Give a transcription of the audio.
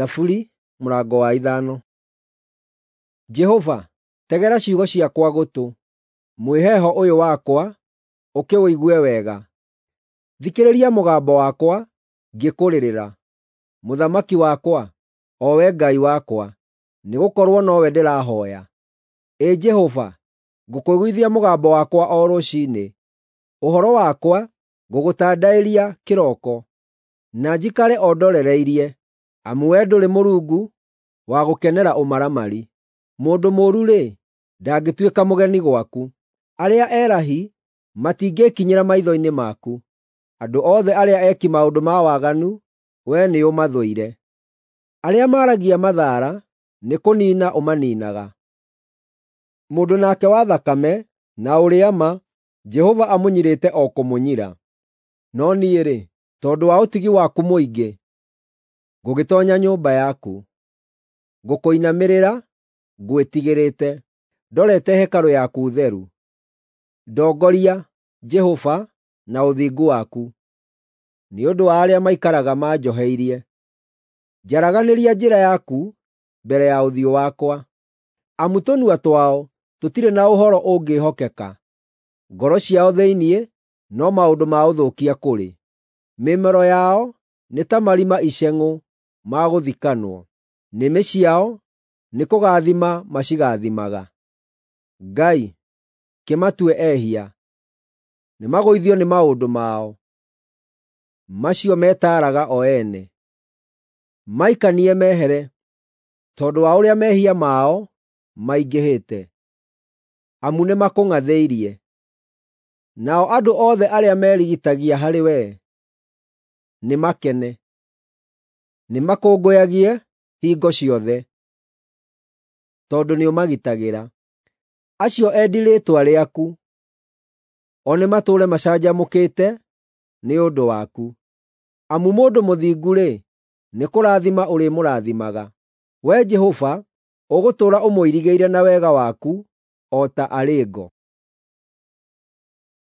Thaburi mũrango wa 5. Jehova, tegera ciugo ciakwa gũtũ, mwĩheeho ũyũ wakwa ũkĩũigue wega. Thikĩrĩria mũgambo wakwa ngĩkũrĩrĩra, Mũthamaki wakwa, o we Ngai wakwa, nĩgũkorwo nowe ndĩrahooya. Ĩ Jehova, ngũkũiguithia mũgambo wakwa o rũciinĩ, ũhoro wakwa ngũgũtandaĩria kĩroko, na njikare o ndorereirie, amu wee ndũrĩ Mũrungu wa gũkenera ũmaramari. Mũndũ mũũru-rĩ, ndangĩtuĩka mũgeni gwaku. Arĩa erahi matingĩĩkinyĩra maitho-inĩ maku. Andũ othe arĩa eki maũndũ ma waganu wee nĩũmathũire. Arĩa maaragia mathaara nĩkũniina ũmaniinaga. Mũndũ nake wa thakame na ũrĩa ma, Jehova amũnyirĩte o kũmũnyira. No niĩ-rĩ, tondũ wa ũtugi waku mũingĩ, ngũgĩtoonya nyũmba yaku. Ngũkũinamĩrĩra ngwĩtigĩrĩte, ndorete hekarũ yaku theru. Ndongoria, Jehova, na ũthingu waku, nĩ ũndũ wa arĩa maikaraga manjoheirie. Njaraganĩria njĩra yaku mbere ya ũthiũ wakwa, amu tũnua twao tũtirĩ na ũhoro ũngĩĩhokeka. Ngoro ciao thĩinĩ no maũndũ ma ũthũkia kũrĩ. Mĩmero yao nĩ ta marima iceng'ũ ma gũthikanwo, nĩmĩ ciao nĩkũgaathima macigaathimaga. Ngai, kĩmatue ehia! Nĩmagũithio nĩ maũndũ mao macio metaaraga o ene. Maikanie mehere, tondũ wa ũrĩa mehia mao maingĩhĩte, amu nĩmakũng'athĩirie. Nao andũ othe arĩa merigitagia harĩ wee nĩmakene, nĩmakũngũyagie hingo ciothe, tondũ nĩũmagitagĩra. Acio endi rĩĩtwa rĩaku, o nĩmatũũre macanjamũkĩte nĩ ũndũ waku. Amu mũndũ mũthingu-rĩ, nĩkũrathima ũrĩmũrathimaga. Wee Jehova, ũgũtũũra ũmũirigĩire na wega waku o ta arĩ ngo.